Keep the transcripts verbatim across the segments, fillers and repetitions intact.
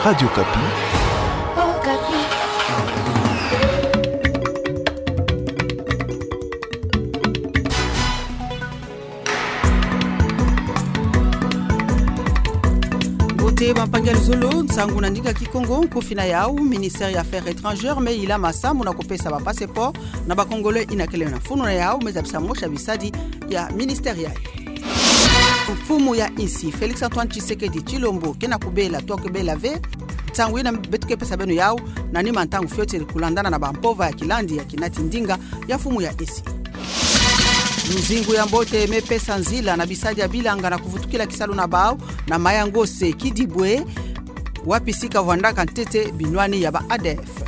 Radio Okapi. Mbote bampangi ya luzolo, nsangu na ndinga Kikongo. Nkufi na yau: Ministère ya Affaires étrangères me yilama sambu na kupesa ba passeport na ba Congolais ina kele na funu na yau, me zabisa mosi ya bisadi ya ministère yayi. Mfumu ya insi Félix Antoine Tshisekedi Tshilombo ke na kubela to kubela ve. Nsangu ina beto ke pesa beno yau na nima ntangu fioti, kulandana na bampova ya kilandi ya kinati ndinga ya mfumu ya insi. Luzingu ya mbote me pesa nzila na bisadi ya bilanga na kuvutukila kisalu na bau na Mayangose, Kidibwe, wapi sika vwandaka ntete binwani ya ba ADF.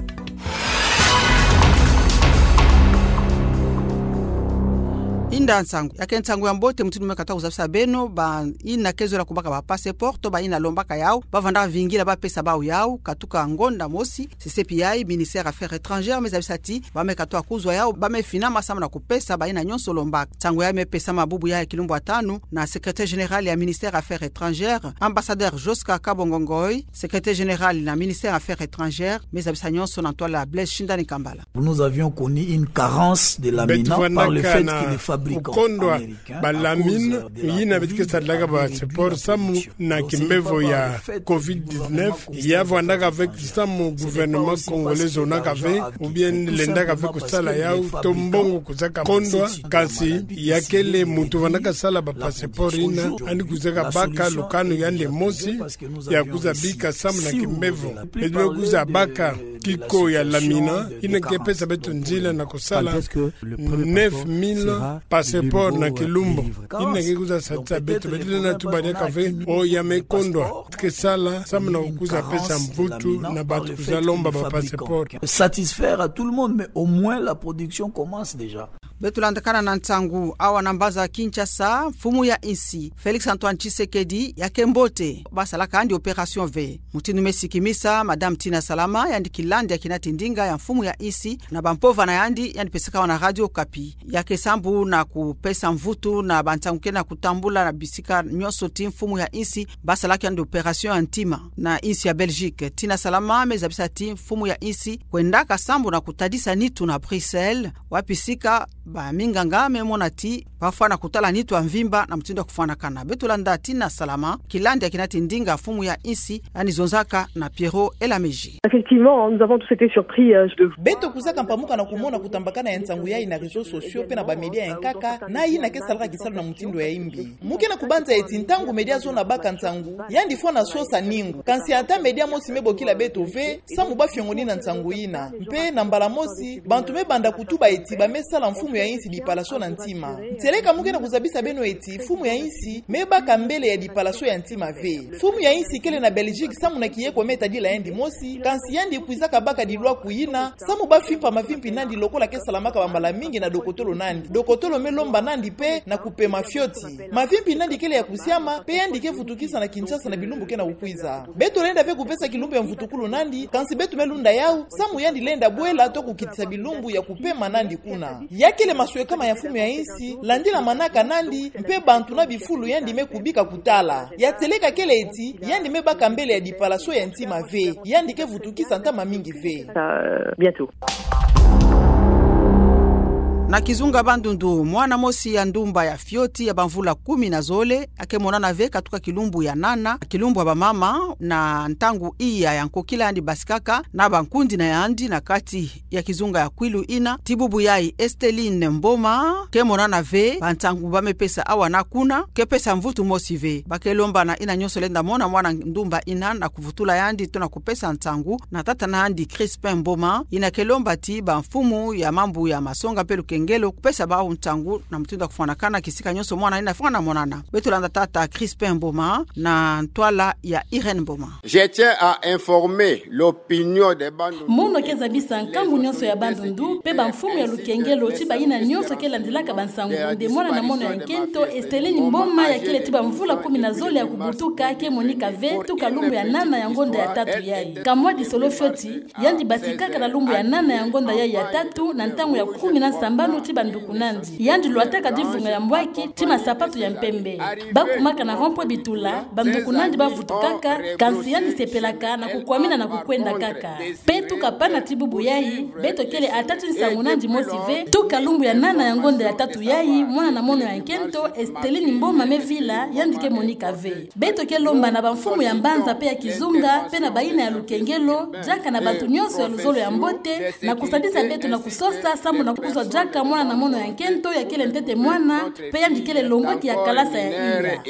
Inda nsangu. Ya ke nsangu ya mbote, mutindu me katuka kuzabisa beno, ba ina ke zola kubaka ba passeport, ba ina lombaka yau, ba vandaka vingila ba pesa bau yau, katuka ngonda mosi. Sesepi yayi, Ministère Affaires étrangères me zabisa ti ba me katuka kuzwa yau, ba me fina masambu na kupesa ba ina nyonso lombaka. Nsangu yayi me pesama bubu yayi kilumbu ya tanu na Secrétaire général ya Ministère Affaires étrangères, Ambassadeur Josca Kabongo Ngoy, Secrétaire général na Ministère Affaires étrangères, me zabisa nyonso na ntwala Blaise Shindani Kambala. Nous avions connu une carence de lamina par le fait que les fabricants américains, à cause de la covid, ont décidé de faire des fabrications. Beto vandaka kukondwa ba lamina yina beto ke sadilaka ba passeport samu na kimbevo ya covid dix-neuf, ya vandaka ve samu gouvernement congolais zonaka ve, ou bien lendaka ve kusala yau, to mbongo kuzaka kondwa, kansi ya kele muntu vandaka sala ba passeport ina, yandi kuzaka baka lukanu yandi mosi ya kuza bika samu na kimbevo. Beto me kuza baka kiko ya lamina ina ke pesa beto nzila na kusala neuf mille passeport na kilumbu. Ina ke kuza sadisa beto, beto lenda tuba diaka ve, o ya me kondwa, ke sala samu na kuza pesa mvutu na bantu kuza lomba ba passeport. Satisfaire à tout le monde, mais au moins la production commence déjà. Beto landakana na nsangu awa na mbanza Kinshasa. Mfumu ya insi Félix Antoine Tshisekedi ya ke mbote, ba salaka yandi opération ve. Mutindu me sikimisa Madame Tina Salama, yandi kilandi ya kinati ndinga ya mfumu ya insi, na bampova na yandi, yandi pesaka awa na Radio Okapi. Ya ke sambu na kupesa mvutu na bansangu ke na kutambula na bisika nyonso ti mfumu ya insi ba salaka yandi opération ya ntima na insi ya Belgique. Tina Salama me zabisa ti mfumu ya insi kwendaka sambu na kutadisa nitu na Bruxelles, wapi sika baminganga me mona ti ba fwana kutala nitu ya mvimba na mutindu ya kufwanakana. Beto landa Tina Salama, kilandi ya kinati ndinga mfumu ya insi, yandi zonzaka na Pierrot Elameji. Effectivement, nous avons tous été surpris, euh, de... Beto kuzaka mpamuka na kumona kutambakana ya nsangu yayi na réseaux sociaux pe na ba médias ya nkaka, na yina ke salaka kisalu na mutindu ya imbi. Mu ke na kubanza eti ntangu média zona baka nsangu, yandi fwana sosa ningu. Kansi ata média mosi me bokila beto ve samu ba fiongonina nsangu yina. Mpe na mbala mosi, bantu me banda kutuba eti ba me sala mfumu ya insi dipalation na ntima. Ntieleka mu ke na kuzabisa beno eti mfumu ya insi me baka mbele ya dipalation ya ntima ve. Mfumu ya insi kele na Belgique samu na kiyeko me tadila yandi mosi, kansi yandi kwizaka baka dilwaku yina samu ba fimpa mavimpi nandi lokola ke salamaka bambala mingi na dokotolo nandi. Dokotolo me lomba nandi pe na kupema fioti. Mavimpi nandi kele ya kusiama, pe yandi ke vutukisa na Kinshasa na bilumbu ke na kukwiza. Beto lenda ve kupesa kilumbu ya mvutukulu nandi, kansi beto me lunda yau samu yandi lenda bwela to kukitisa bilumbu ya kupema nandi kuna. Ya kele maswekama ya mfumu ya insi, landila manaka nandi, mpe bantu na bifulu yandi me kubika kutala. Ya ntieleka kele eti yandi me baka mbele ya dipalation ya ntima ve, yandi ke vutukisa ntama mingi ve. Euh, bientôt. Na kizunga Bandundu, mwana mosi ya ndumba ya fioti ya bamvula kumi na zole, ya ke monana ve katuka kilumbu ya nana, kilumbu ya bamama, na ntangu iya ya nkokila yandi basikaka na bankundi na yandi na kati ya kizunga ya Kwilu ina, ti bubu yayi Esteline Mboma, ke monana ve, bansangu ba me pesa awa na kuna, ke pesa mvutu mosi ve. Ba ke lomba na yina nyonso lenda mona mwana ndumba ina na kuvutula yandi to na kupesa nsangu na tata na yandi Crispin Mboma, yina ke lomba ti bamfumu ya mambu ya masonga mpe lukengelo kupesa bau nsangu na mutindu ya kufwanakana kisika nyonso mwana yina fwana monana. Beto landa tata Crispin Mboma na ntwala ya Irène Mboma. Je tiens à informer l'opinion des Bandundu. Mono ke zabisa nkangu nyonso ya Bandundu, mpe bamfumu ya lukengelo, ti bayina nyonso ke landilaka bansangu nde mwana na mono ya nkento, Esteline Mboma, ya kele ti bamvula kumi na zole ya kubutuka, ke monika ve tuka lumbu ya nana ya ngonda ya tatu yayi. Kamwa disolo fioti, yandi basikaka na lumbu ya nana ya ngonda yayi ya tatu, na ntangu ya kumi na nsamba ti bandukunandi. Yandi lwataka divunga ya mbwaki ti masapatu ya mpembe. Bakumaka na rond-point Bitula, bandukunandi bavutukaka, kansi yandi sepelaka na kukwamina na kukwenda kaka. Mpe tuka pana ti bubu yayi, beto kele ata ti nsangu nandi mosi ve, tuka lumbu ya nana ya ngonda ya tatu yayi, mwana na mono ya nkento, Esteline Mboma Mevila, yandi ke monika ve. Beto ke lomba na bamfumu ya mbanza mpe ya kizunga, mpe na bayina ya lukengelo, diaka na bantu nyonso ya luzolo ya mbote, na kusadisa beto na kusosa, sambu na kuzwa diaka mwana na mono ya nkento, ya kele ntete mwana, mpe yandi kele longwaki ya kalasa ya ina.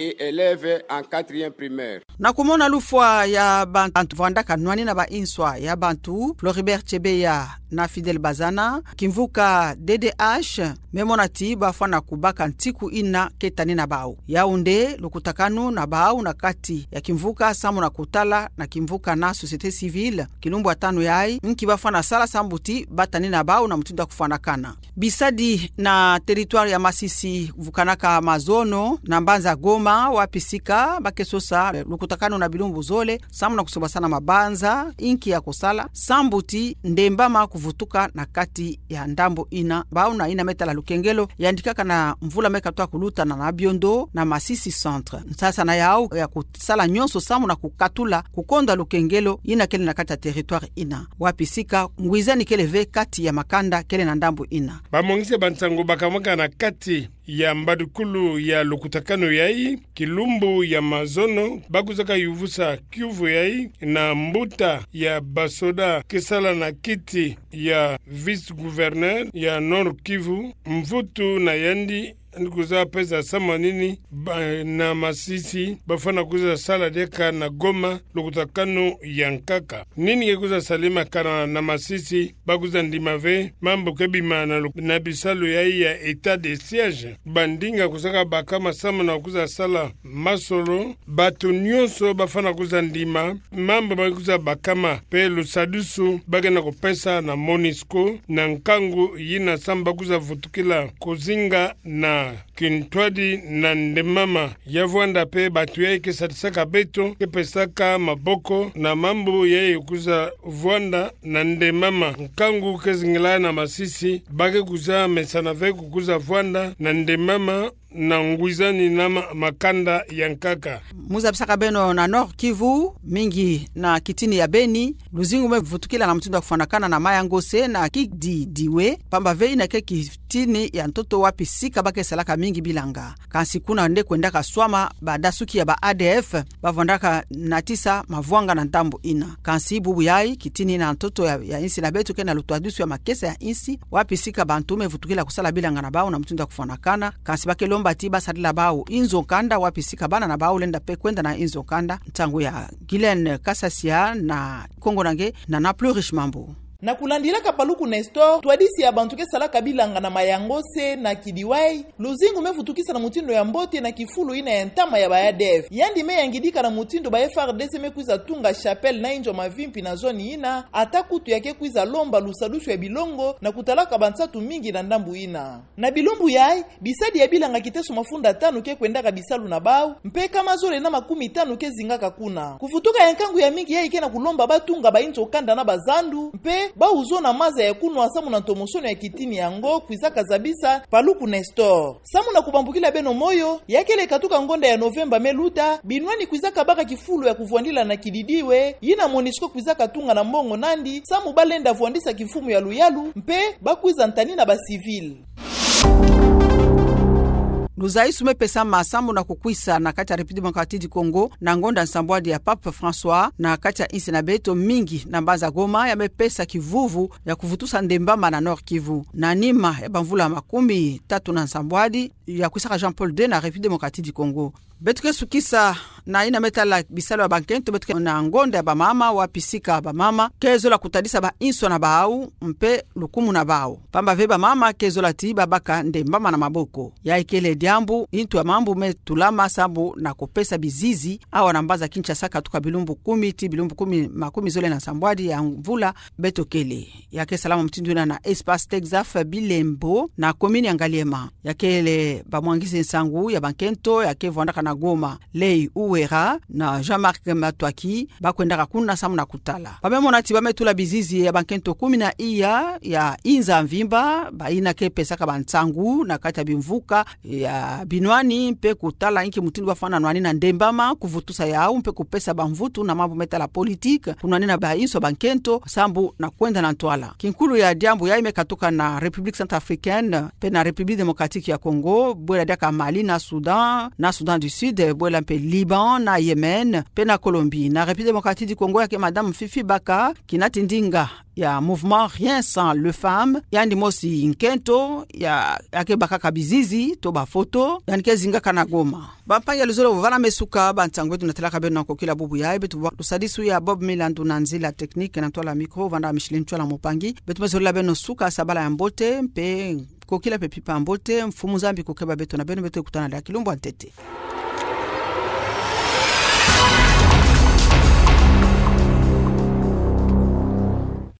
Na kumona lufwa ya bantu vwandaka nwani na ba inswa ya bantu, Floribert Chebeya na Fidèle Bazana, kimvuka D D H, me mona ti bafwana kubaka ntiku ina ke tani na bau. Yaoundé, lukutakanu na bau na kati ya kimvuka sambu na kutala na kimvuka na société civile, kilumbu ya tanu yayi, nki bafwana sala sambu ti batani na bau na mutindu ya kufwanakana. Bisadi na territoire ya Masisi vukanaka mazono na mbanza Goma, wapi sika ba ke sosa lukutakanu na bilumbu zole, sambu na kusobasana mabanza, inki ya kusala, sambu ti ndembama kuvutuka na kati ya ndambu ina, bau na ina me tala lukengelo, yandi kaka na mvula me katuka kuluta na, na biondo na Masisi Centre. Nsasana yau ya kusala nyonso sambu na kukatula, kukonda lukengelo ina kele na kati ya territoire ina. Wapi sika ngwizani kele ve kati ya makanda kele na ndambu ina. Bamongisi ya bansangu bakamwaka na kati ya mbadukulu ya lukutakanu yayi, kilumbu ya mazono, ba kwizaka yuvusa kiuvu yayi na mbuta ya basoda ke sala na kiti ya vice-gouverneur ya Nord-Kivu, mvutu na yandi, yandi kwiza pesa samanini ba-, na Masisi, bafwana kwiza sala diaka na Goma, lukutakanu ya nkaka. Nini ke kwiza salemakana na Masisi, ba kwiza ndima ve mambu ke bima na lu-, na bisalu yayi ya état de siège. Bandinga kwizaka bakama sambu na kwiza sala masolo, bantu nyonso bafwana kwiza ndima mambu ma kwiza bakama, mpe lusadusu ba ke na kupesa na MONUSCO, na nkangu yina sambu ba kwiza vutukila kuzinga na kintwadi na ndembama ya vwanda mpe bantu yayi ke sadisaka beto, ke pesaka maboko na mambu yayi kwiza vwanda na ndembama. Nkangu ke zingila na Masisi, ba ke kwiza mesana ve ku kwiza vwanda na ndembama na ngwizani na ma-, makanda ya nkaka. Mu zabisaka beno na Nord-Kivu, mingi na kitini ya Beni, luzingu me vutukila na mutindu ya kufwanakana na Mayangose na Kididiwe, pamba ve ina ke kitini ya ntoto wapi sika ba ke salaka mingi bilanga. Kansi kuna nde kwendaka swama badasuki ya ba A D F, bavwandaka natisa mavwanga na ndambu ina. Kansi bubu yayi, kitini na ntoto ya, ya insi na beto ke na lutwadusu ya makesa ya insi, wapi sika bantu me vutukila kusala bilanga na bau na mutindu ya kufwanakana, kansi ba ke lomba ti ba sadila bau inzo kanda, wapi sika bana na bau lenda mpe kwenda na inzo kanda. Nsangu ya Guylaine Kasasia na Kongo na nge na na Plurish Mambu. Na kulandilaka Paluku Nestor, twadisi ya bantu ke salaka bilanga na Mayangose na Kidiwai, luzingu me vutukisa na mutindu ya mbote na kifulu ina ya ntama ya ba A D F. Yandi me yangidika na mutindu ba F A R D C me kwiza tunga chapelle na inzo mavimpi na zone ina, ata kutu ya ke kwiza lomba lusadusu ya bilongo na kutalaka bansatu mingi na ndambu ina. Na bilumbu yayi, bisadi ya bilanga kiteso mafunda tanu ke kwendaka bisalu na bau, mpe nkama zole na makumi tanu ke zingaka kuna. Kuvutuka ya nkangu ya mingi yayi ke na kulomba ba tunga ba inzo kanda na bazandu, mpe ba uzona maza ya kunwa samu na ntomosono ya kitini yango, kwizaka zabisa Paluku Nestor. Samu na kubambukila beno moyo, ya kele katuka ngonda ya Novemba me luta, binwani kwizaka baka kifulu ya kuvwandila na Kididiwe, yina MONUSCO kwizaka tunga na mbongo nandi, samu ba lenda vwandisa kimfumu ya luyalu, mpe ba kwiza ntani na ba civil. Luzaisu me pesa masambu na kukwisa na kati ya République Démocratique du Congo, na ngonda nsambwadi ya Pape François, na kati ya insi na beto mingi na mbanza Goma, ya me pesa kivuvu ya kuvutusa ndembama na Nord-Kivu. Na nima ya bamvula makumi tatu na nsambwadi, ya kwisaka Jean-Paul deux na République Démocratique du Congo. Beto ke sukisa na yina me tala bisalu ya bankento, beto ke na ngonda ya bamama, wapi sika bamama ke zola kutadisa ba inswa na bau, mpe lukumu na bau. Pamba ve bamama ke zola ti ba baka ndembama na maboko. Ya ikele dia mambu, ntu ya mambu me tulama sambu na kupesa bizizi awa na mbanza Kinshasa katuka bilumbu kumi ti bilumbu kumi, makumi zole na sambwadi ya mvula beto kele. Ya ke salama mutindu yina na Espace Texaf Bilembo na commune ya Ngaliema. Ya kele bamwangisi nsangu ya bankento ya ke vwandaka na Goma, Lei Uwera na Jean-Marc Matwaki, ba kwendaka kuna sambu na kutala. Ba me mona ti ba me tula bizizi ya bankento kumi na iya ya inza mvimba, bayina ke pesaka bansangu na kati ya bimvuka ya binwani, mpe kutala inki mutindu ba fwana nwanina ndembama, kuvutusa yau, mpe kupesa bamvutu na mambu me tala politique, kunwanina bainso bankento, sambu na kwenda na ntwala. Kinkulu ya diambu yayi me katuka na République Centrafricaine, mpe na République Démocratique ya Congo, bwela diaka Mali na Soudan, na Soudan du Sud, bwela mpe Liban na Yémen, mpe na Colombie. Na République Démocratique du Congo ya ke Madame Fifi Baka, kina ti ndinga ya Mouvement Rien Sans les Femmes, yandi mosi nkento ya, ya ke bakaka bizizi to bafoto, yandi ke zingaka na Goma. Bampangi ya luzolo, vana me suka bansangu beto natelaka beno na kokila bubu yayi. Beto ba lusadisu ya Bob Milandu na nzila technique, na ntwala micro vanda Micheline Tchwala Mupangi. Beto me zolila beno suka sabala ya mbote, mpe kokila mpe mpimpa mbote, Mfumu Nzambi kukeba beto na beno, beto kutana diaka kilumbu ya ntete.